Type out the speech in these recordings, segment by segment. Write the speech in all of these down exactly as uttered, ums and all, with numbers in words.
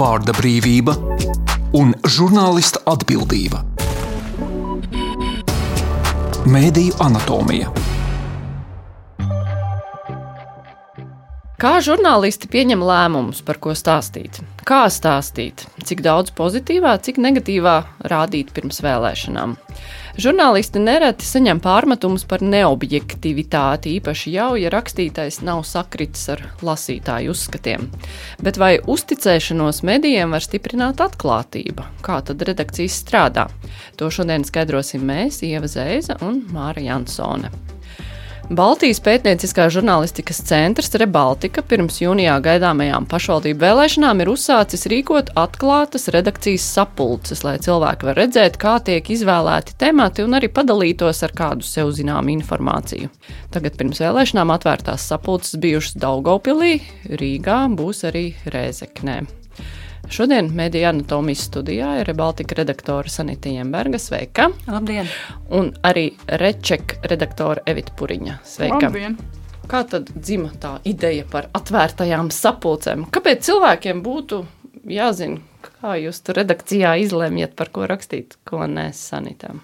vārda brīvība un žurnālista atbildība. Mēdīju anatomija. Kā žurnālisti pieņem lēmumus, par ko stāstīt? Kā stāstīt? Cik daudz pozitīvā, cik negatīvā rādīt pirms vēlēšanām? Žurnālisti nereti saņem pārmetumus par neobjektivitāti, īpaši jau, ja rakstītais nav sakritis ar lasītāju uzskatiem. Bet vai uzticēšanos medijiem var stiprināt atklātība? Kā tad redakcijas strādā? To šodien skaidrosim mēs, Ieva Zēza un Māra Jansone. Baltijas pētnieciskā žurnālistikas centrs Rebaltika pirms jūnijā gaidāmajām pašvaldību vēlēšanām ir uzsācis rīkot atklātas redakcijas sapulces, lai cilvēki var redzēt, kā tiek izvēlēti temati un arī padalītos ar kādu sev zināmu informāciju. Tagad pirms vēlēšanām atvērtās sapulces bijušas Daugavpilī, Rīgā, būs arī Rēzeknē. Šodien Mēdīju anatomijas studijā ir Rebaltika redaktore Sanita Jemberga, sveika. Labdien! Un arī Reček redaktore Evita Puriņa, sveika. Labdien! Kā tad dzima tā ideja par atvērtajām sapulcēm? Kāpēc cilvēkiem būtu jāzina, kā jūs tur redakcijā izlemjat, par ko rakstīt, ko nē, Sanita?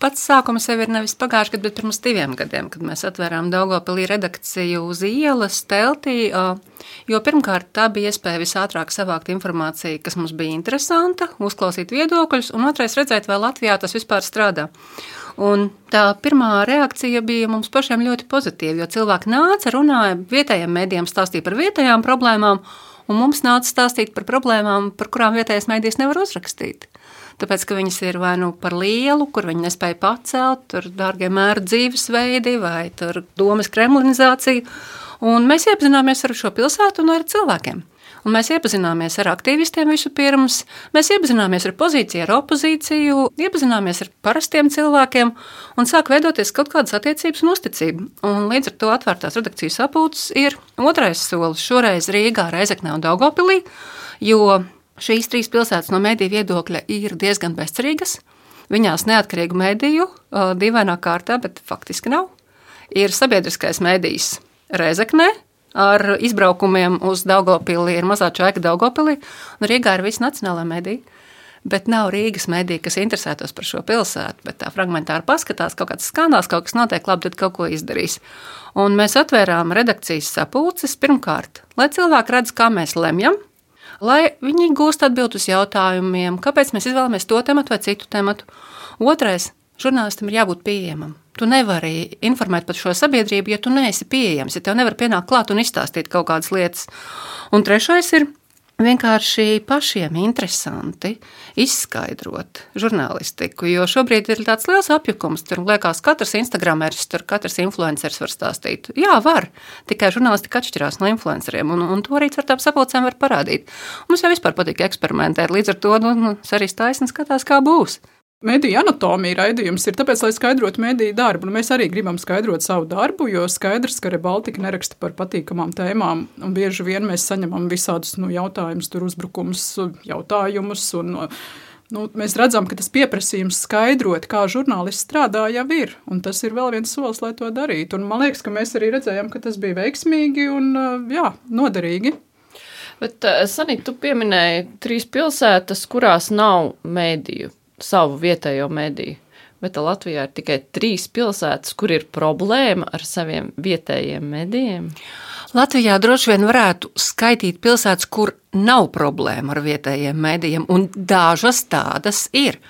Pats sākums jau ir nevis pagājuši gadu, bet pirms diviem gadiem, kad mēs atvērām Daugavpilī redakciju uz ielas, teltī, jo pirmkārt tā bija iespēja visātrāk savākt informāciju, kas mums bija interesanta, uzklausīt viedokļus, un otrais redzēt, vai Latvijā tas vispār strādā. Un tā pirmā reakcija bija mums pašiem ļoti pozitīva, jo cilvēki nāca, runāja vietējiem mēdījiem, stāstīja par vietējām problēmām, un mums nāca stāstīt par problēmām, par kurām vietējais mēdījis nevar uzrakstīt. Tāpēc, ka viņas ir vai nu par lielu, kur viņi nespēja pacelt, tur dārgie mēru dzīvesveidi vai tur domas kremlinizācija. Un mēs iepazināmies ar šo pilsētu un ar cilvēkiem. Un mēs iepazināmies ar aktīvistiem visu pirms, mēs iepazināmies ar pozīciju, ar opozīciju, iepazināmies ar parastiem cilvēkiem un sāk veidoties kaut kādas attiecības un uzticība. Un līdz ar to atvērtās redakcijas sapulces ir otrais solis šoreiz Rīgā, Rēzeknē un Daugavpilī, jo šīs trīs pilsētas no mediju viedokļa ir diezgan bezcerīgas. Viņās neatkarīgu mediju, dīvainā kārtā, bet faktiski nav. Ir sabiedriskais medijs Rēzeknē ar izbraukumiem uz Daugavpili, ir mazā čaika Daugavpilī, un Rīgā ir visi nacionālā medija. Bet nav Rīgas medija, kas interesētos par šo pilsētu, bet tā fragmentāri paskatās, kaut kāds skandāls, kaut kas notiek labi, tad kaut ko izdarīs. Un mēs atvērām redakcijas sapulces pirmkārt, lai cilvēki redz, kā mēs lemjam, lai viņi gūst atbild uz jautājumiem, kāpēc mēs izvēlamies to tematu vai citu tematu. Otrais, žurnālistam ir jābūt pieejamam. Tu nevari informēt par šo sabiedrību, ja tu neesi pieejams, ja tev nevar pienākt klāt un izstāstīt kaut kādas lietas. Un trešais ir vienkārši pašiem interesanti izskaidrot žurnālistiku, jo šobrīd ir tāds liels apjukums, tur liekas katrs instagrameris, tur katrs influenceris var stāstīt. Jā, var, tikai žurnālistika atšķirās no influenceriem, un, un to arī ar tām sapulcēm var parādīt. Mums jau vispār patīk eksperimentēt, līdz ar to nu, nu, arī taisni skatās, kā būs. Mēdīju anatomija raidījums ir tāpēc, lai skaidrotu mēdīju darbu. Mēs arī gribam skaidrot savu darbu, jo skaidrs, ka Rebaltika neraksta par patīkamām tēmām, un bieži vien mēs saņemam visādus nu, jautājumus, tur uzbrukums, jautājumus, un nu, mēs redzam, ka tas pieprasījums skaidrot, kā žurnālists strādā, jau ir, un tas ir vēl viens solis, lai to darītu. Un man liekas, ka mēs arī redzējām, ka tas bija veiksmīgi un jā, noderīgi. Bet, Sanita, tu pieminēji trīs pilsētas, kurās nav mēdīju. Savu vietējo mediju, bet Latvijā ir tikai trīs pilsētas, kur ir problēma ar saviem vietējiem medijiem. Latvijā droši vien varētu skaitīt pilsētas, kur nav problēma ar vietējiem medijiem, un dažas tādas ir.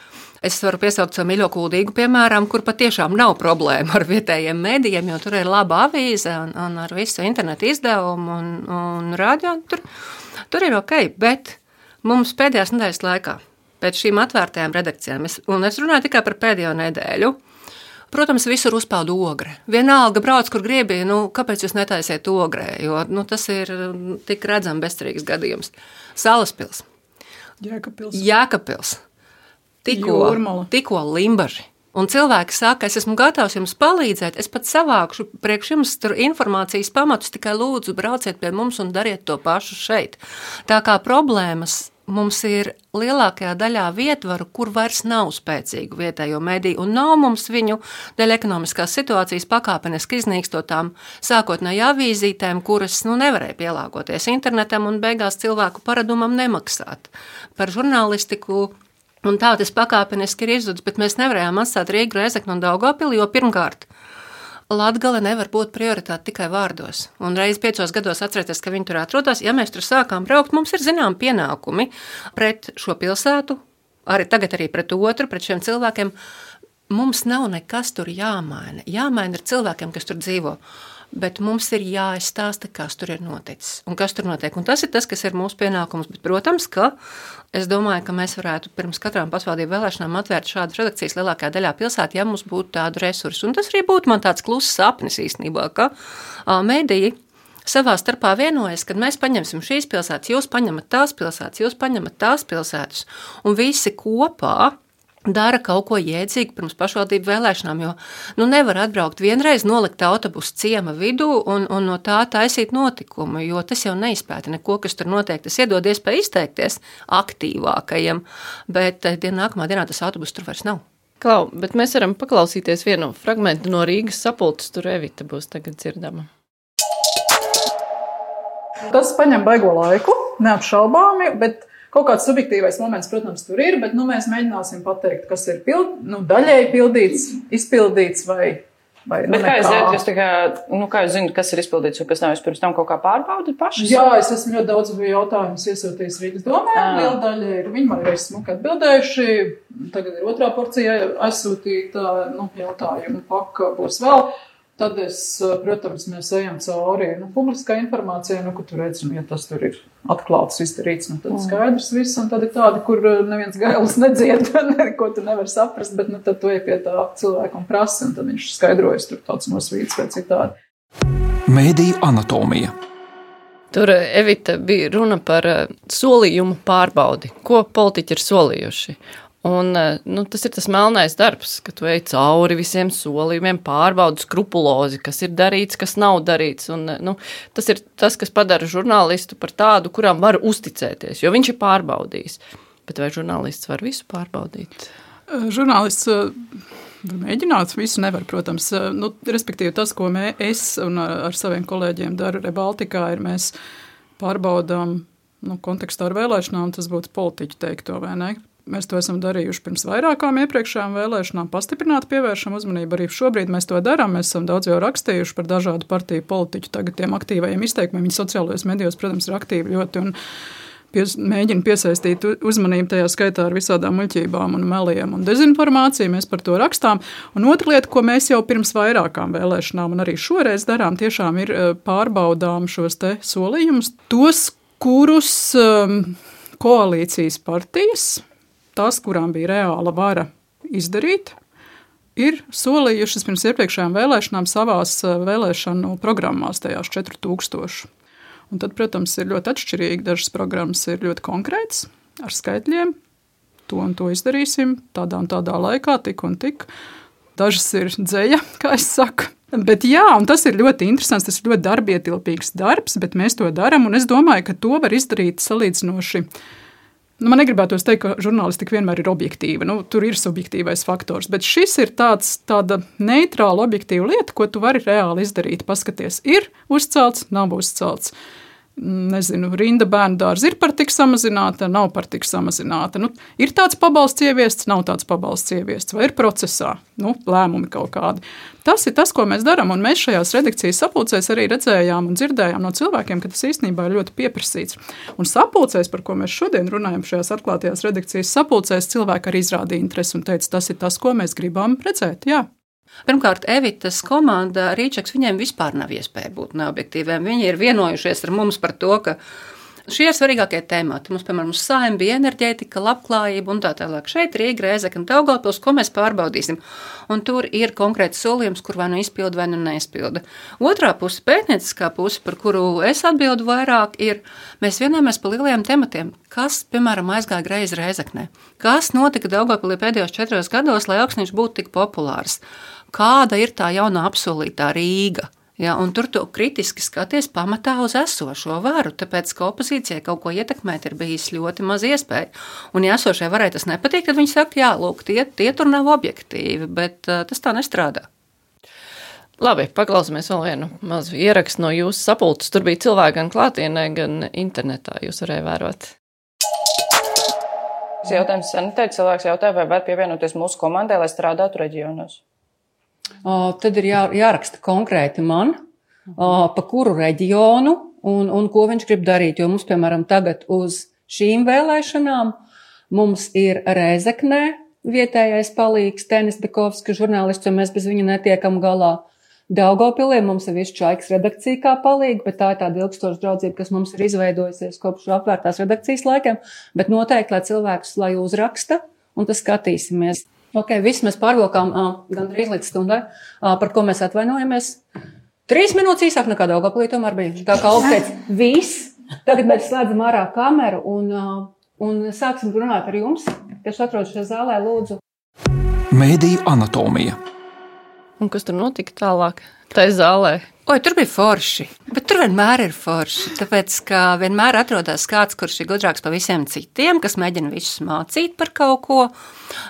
Es varu piesaukt savu mīļo Kuldīgu, piemēram, kur patiešām nav problēma ar vietējiem medijiem, jo tur ir laba avīze un, un ar visu internetu izdevumu un, un radio. Tur, tur ir ok, bet mums pēdējās nedēļas laikā pēc šīm atvērtajām redakcijām, un es runāju tikai par pēdējo nedēļu, protams, visur uzpeld ogre. Vienalga brauc, kur gribi, nu, kāpēc jūs netaisiet ogrē, jo nu, tas ir tik redzam bezcerīgs gadījums. Salaspils. Jēkabpils. Jēkabpils. Tikko, tikko Limbaži. Un cilvēki saka, es esmu gatavs jums palīdzēt, es pat savākšu priekš jums tur informācijas pamatus, tikai lūdzu brauciet pie mums un dariet to pašu šeit. Tā kā problēmas mums ir lielākajā daļā vietvaru, kur vairs nav spēcīgu vietējo mediju, un nav mums viņu dēļ ekonomiskās situācijas pakāpeniski iznīkstotām sākotnēji avīzītēm, kuras nu, nevarēja pielāgoties internetam un beigās cilvēku paradumam nemaksāt. Par žurnālistiku un tā tas pakāpeniski ir izzudis, bet mēs nevarējām atstāt Rīgu, Rēzekni un Daugavpili, jo pirmkārt, Latgale nevar būt prioritāte tikai vārdos. Un reiz piecos gados atcerieties, ka viņi tur atrodas. Ja mēs tur sākām braukt, mums ir zinām pienākumi pret šo pilsētu, arī tagad arī pret otru, pret šiem cilvēkiem. Mums nav nekas tur jāmaina. Jāmaina ir cilvēkiem, kas tur dzīvo. Bet mums ir jāizstāsta, kas tur ir noticis un kas tur notiek. Un tas ir tas, kas ir mūsu pienākums. Bet, protams, ka es domāju, ka mēs varētu pirms katrām pašvaldību vēlēšanām atvērt šādu redakcijas lielākajā daļā pilsētu, ja mums būtu tādu resursu. Un tas arī būtu man tāds kluss sapnis īstenībā, ka mediji savā starpā vienojas, kad mēs paņemsim šīs pilsētas, jūs paņemat tās pilsētas, jūs paņemat tās pilsētas, un visi kopā dara kaut ko jēdzīgu pirms pašvaldību vēlēšanām, jo nu, nevar atbraukt vienreiz, nolikt autobusu ciema vidū un, un no tā taisīt notikumu, jo tas jau neizpēta neko, kas tur notiek. Tas iedod iespēju izteikties aktīvākajiem, bet dien, nākamā dienā tas autobus tur vairs nav. Klau, bet mēs varam paklausīties vienu fragmentu no Rīgas sapulces, tur Evita būs tagad dzirdama. Tas paņem baigo laiku, neapšaubāmi, bet kaut kāds subjektīvais moments, protams, tur ir, bet nu, mēs mēģināsim pateikt, kas ir pild, nu, daļēji pildīts, izpildīts vai, vai nu, bet kā jūs zināt, kas, kā, nu, kā jūs zināt, kas ir izpildīts un kas nav, jūs pirms tam kaut kā pārbaudat pašas? Jā, es esmu ļoti daudz jautājumus iesūtījis Rīgas domē, liela daļa ir, viņi man ir smuki atbildējuši, tagad ir otrā porcija aizsūtīta, nu, jautājumu paka būs vēl. Tad es, protams, mēs ejam cauri nu, publiskā informācijā, nu, kur tur redzam, ja tas tur ir atklāts, izdarīts, nu, tad skaidrs viss, un tad ir tādi, kur neviens gailis nedzied, ko tu nevar saprast, bet nu, tad tu ej pie tā cilvēka un prasi, un tad viņš skaidrojas tur tāds nosvīts vai citādi. Mēdīju anatomija. Tur, Evita, bija runa par solījumu pārbaudi, ko politiķi ir solījuši. Un, nu, tas ir tas melnais darbs, ka tu ej cauri visiem solījumiem, pārbaudi skrupulozi, kas ir darīts, kas nav darīts. Un, nu, tas ir tas, kas padara žurnālistu par tādu, kuram var uzticēties, jo viņš ir pārbaudījis. Bet vai žurnālists var visu pārbaudīt? Žurnālists var mēģināt, visu nevar, protams. Nu, respektīvi tas, ko mē, es un ar, ar saviem kolēģiem daru Rebaltikā, ir mēs pārbaudām nu, kontekstā ar vēlēšanām, tas būtu politiķi teikto, vai ne? Mēs to esam darījuši pirms vairākām iepriekšējām vēlēšanām, pastiprināti pievēršam uzmanību. Arī šobrīd mēs to darām. Mēs esam daudz jau rakstījuši par dažādu partiju politiķu, tagad tiem aktīvajiem izteikumiem. Viņi sociālajos medijos, protams, ir aktīvi ļoti un pies, mēģina piesaistīt uzmanību tajā skaitā ar visādām muļķībām un meliem un dezinformāciju. Mēs par to rakstām. Un otra lieta, ko mēs jau pirms vairākām vēlēšanām un arī šoreiz darām, tiešām ir pārbaudām šos te solījumus, tos, kurus um, koalīcijas partijas, tās, kurām bija reāla vara izdarīt, ir solījušas pirms iepriekšējām vēlēšanām savās vēlēšanu programmās, tajās četri tūkstoši. Un tad, protams, ir ļoti atšķirīgi. Dažas programmas ir ļoti konkrētas, ar skaitļiem. To un to izdarīsim tādā un tādā laikā, tik un tik. Dažas ir dzeļa, kā es saku. Bet jā, un tas ir ļoti interesants, tas ir ļoti darbietilpīgs darbs, bet mēs to daram, un es domāju, ka to var izdarīt salīdzinoši. Nu, man negribētos teikt, ka žurnālistika vienmēr ir objektīva. Nu, tur ir subjektīvais faktors, bet šis ir tāds, tāda neitrāla objektīva lieta, ko tu vari reāli izdarīt. Paskaties, ir uzcelts, nav uzcelts. Nezinu, rinda bērnu dārza ir par tik samazināta, nav par tik samazināta. Nu, ir tāds pabalsts ieviests, nav tāds pabalsts ieviests, vai ir procesā, nu, lēmumi kaut kādi. Tas ir tas, ko mēs darām, un mēs šajās redakcijas sapulcēs arī redzējām un dzirdējām no cilvēkiem, ka tas īstenībā ir ļoti pieprasīts. Un sapulcēs, par ko mēs šodien runājam šajās atklātajās redakcijas sapulcēs, cilvēki arī izrādīja interesi un teica, tas ir tas, ko mēs gribam redzēt, jā. Pirmkārt, Evitas komanda Rīčaks, viņiem vispār nav iespēja būt neobjektīviem. Viņi ir vienojušies ar mums par to, ka šie ir svarīgākie temati. Mums, piemēram, uz Saeima bija enerģētika, labklājība un tā tālāk. Šeit Rīga, Rēzekne, Daugavpils, ko mēs pārbaudīsim. Un tur ir konkrēts solījums, kur vai nu izpilda, vai nu neizpilda. Otrā puse, pētnieciskā puse, par kuru es atbildu vairāk, ir, mēs vienojamies par lielajiem tematiem. Kas, piemēram, aizgāja greizi Rēzeknē? Kas notika Daugavpilī pēdējos četros gados, lai Augsniņš būtu tik populārs? Kāda ir tā jaunā apsolītā Rīga? Ja, un tur tu kritiski skaties pamatā uz esošo varu, tāpēc, ka opozīcijai kaut ko ietekmēt ir bijis ļoti maz iespēja. Un ja esošai varai tas nepatīk, tad viņi saka, jā, lūk, tie, tie tur nav objektīvi, bet uh, tas tā nestrādā. Labi, paklausāmies vēl vienu mazu ierakstu no jūsu sapulces. Tur bija cilvēki gan klātienē, gan internetā. Jūs varēja vērot. Jautājums sanitē, cilvēks jautāja, vai var pievienoties mūsu komandai, lai strādātu reģionos. O, tad ir jā, jāraksta konkrēti man, o, pa kuru reģionu un, un ko viņš grib darīt. Jo mums, piemēram, tagad uz šīm vēlēšanām mums ir Rēzeknē vietējais palīgs Tenis Bekovska žurnālists, jo mēs bez viņa netiekam galā. Daugavpilī mums ir visu Čaikas redakcija kā palīga, bet tā ir tāda ilgstoša draudzība, kas mums ir izveidojusies kopš apvērtās redakcijas laikiem. Bet noteikti, lai cilvēkus, lai uzraksta, un tas skatīsimies. Ok, viss mēs pārvilkām uh, gandrīz līdz stundai, uh, par ko mēs atvainojamies. Trīs minūtes īsāk nekā Daugavpilī tomēr bija. Tā kā Olga teica, viss. Tagad mēs slēdzam ārā kameru un, uh, un sāksim runāt ar jums, kas atrodas šajā zālē, lūdzu. Mēdīju anatomija. Un kas tur notika tālāk? Tā ir zālē. Oi, tur bija forši, bet tur vienmēr ir forši, tāpēc, ka vienmēr atrodas kāds, kurš ir gudrāks par visiem citiem, kas mēģina visus mācīt par kaut ko.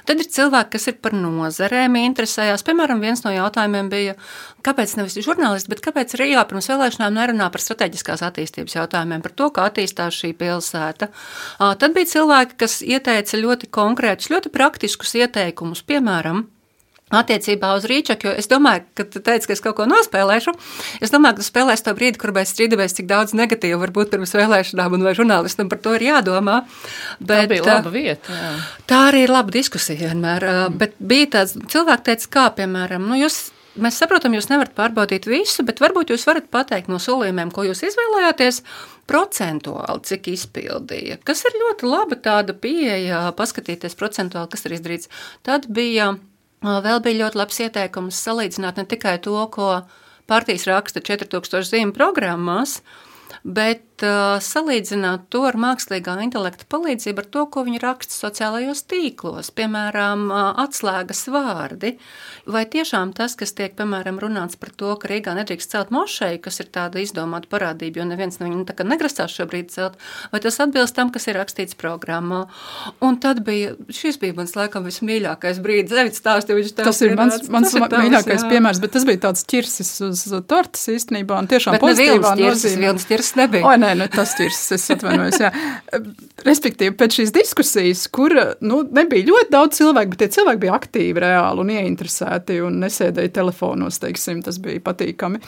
Tad ir cilvēki, kas ir par nozarēm interesējās. Piemēram, viens no jautājumiem bija, kāpēc nevis žurnālisti, bet kāpēc Rīgā pirms vēlēšanām nerunā par strateģiskās attīstības jautājumiem, par to, kā attīstās šī pilsēta. Tad bija cilvēki, kas ieteica ļoti konkrētus, ļoti praktiskus ieteikumus, piemēram, attiecībā uz Rīčaku, jo es domāju, ka tu teici, ka es kaut ko nospēlēšu. Es domāju, ka tu spēlēsi to brīdi, kur mēs strīdamies, cik daudz negatīvu var būt pirms vēlēšanām, un vai žurnālistam par to ir jādomā. Bet, tā bija laba vieta. Jā. Tā arī ir laba diskusija vienmēr. Mm. Bet bija tāds, cilvēki teica, kā, piemēram, nu jūs, mēs saprotam, jūs nevarat pārbaudīt visu, bet varbūt jūs varat pateikt no solījumiem, ko jūs izvēlējāties, procentuāli, cik izpildīja. Kas ir ļoti laba tāda pieeja, paskatīties procentuāli, kas ir izdarīts. Tad bija... Vēl bija ļoti labs ieteikums salīdzināt ne tikai to, ko partijas raksta četri tūkstoši zīmju programmās, bet uh, salīdzināt to ar mākslīgā intelekta palīdzību ar to, ko viņi raksta sociālajos tīklos, piemēram, uh, atslēgas vārdi. Vai tiešām tas, kas tiek, piemēram, runāts par to, ka Rīgā nedrīkst celt mošeju, kas ir tāda izdomāta parādība, jo neviens no viņu tā kā negrasās šobrīd celt, vai tas atbilst tam, kas ir rakstīts programmā. Un tad bija, šis bija mans laikam vismīļākais brīdis, Evits stāstīja, viņš tā. Tas ir mans, mans ir tavs, mīļākais jā. Piemērs, bet tas bija tāds ķirsis uz tortas īstenībā, un tiešām bet pozitīvā nozīmē. Nebija. O, nē, nu, tas ķirs, es atvainojos, jā. Respektīvi, pēc šīs diskusijas, kur, nu, nebija ļoti daudz cilvēku, bet tie cilvēki bija aktīvi, reāli un ieinteresēti un nesēdēja telefonos, teiksim, tas bija patīkami.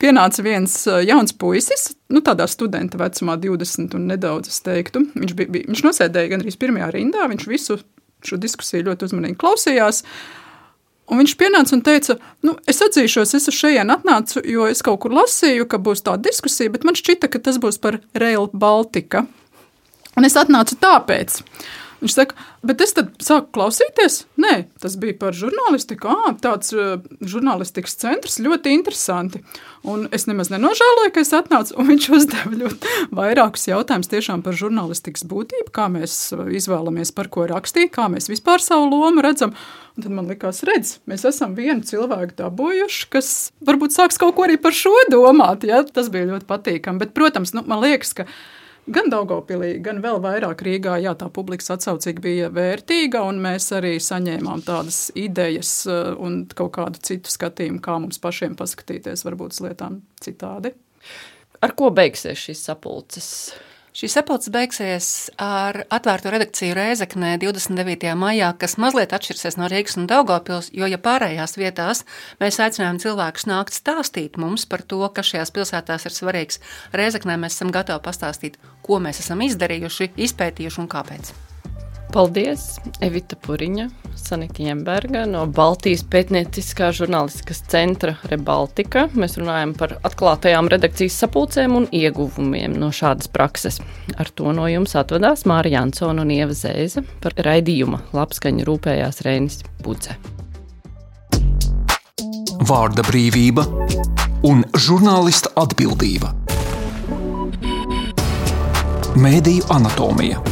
Pienāca viens jauns puisis, nu, tādā studenta vecumā divdesmit un nedaudz, es teiktu. Viņš, bija, bija, viņš nosēdēja gandrīz pirmajā rindā, viņš visu šo diskusiju ļoti uzmanīgi klausījās. Un viņš pienāca un teica, nu, es atzīšos, es uz šajien atnācu, jo es kaut kur lasīju, ka būs tāda diskusija, bet man šķita, ka tas būs par Rail Baltica. Un es atnācu tāpēc. Viņš saka, bet es tad sāku klausīties? Nē, tas bija par žurnālistiku. Ā, tāds uh, žurnālistikas centrs, ļoti interesanti. Un es nemaz nenožēloju, ka es atnācu, un viņš uzdeva ļoti vairākus jautājumus tiešām par žurnālistikas būtību, kā mēs izvēlamies, par ko rakstīt, kā mēs vispār savu lomu redzam. Un tad man likās, redz, mēs esam vienu cilvēku dabūjuši, kas varbūt sāks kaut ko arī par šo domāt. Ja? Tas bija ļoti patīkami. Bet, protams, nu, man liekas, ka gan Daugavpilī, gan vēl vairāk Rīgā, jā, tā publikas atsaucīga bija vērtīga, un mēs arī saņēmām tādas idejas un kaut kādu citu skatījumu, kā mums pašiem paskatīties varbūt uz lietām citādi. Ar ko beigsies šīs sapulces? Šī sapulce beigsies ar atvērto redakciju Rēzeknē divdesmit devītajā maijā, kas mazliet atšķirsies no Rīgas un Daugavpils, jo, ja pārējās vietās mēs aicinājām cilvēkus nākt stāstīt mums par to, kas šajās pilsētās ir svarīgs, Rēzeknē mēs esam gatavi pastāstīt, ko mēs esam izdarījuši, izpētījuši un kāpēc. Paldies, Evita Puriņa, Sanita Jemberga no Baltijas pētnieciskā žurnālistikas centra Rebaltika. Mēs runājam par atklātajām redakcijas sapulcēm un ieguvumiem no šādas prakses. Ar to no jums atvadās Māra Jansona un Ieva Zēze. Par raidījuma labskaņu rūpējās Reinis Budze. Vārda brīvība un žurnālista atbildība. Mēdīju anatomija.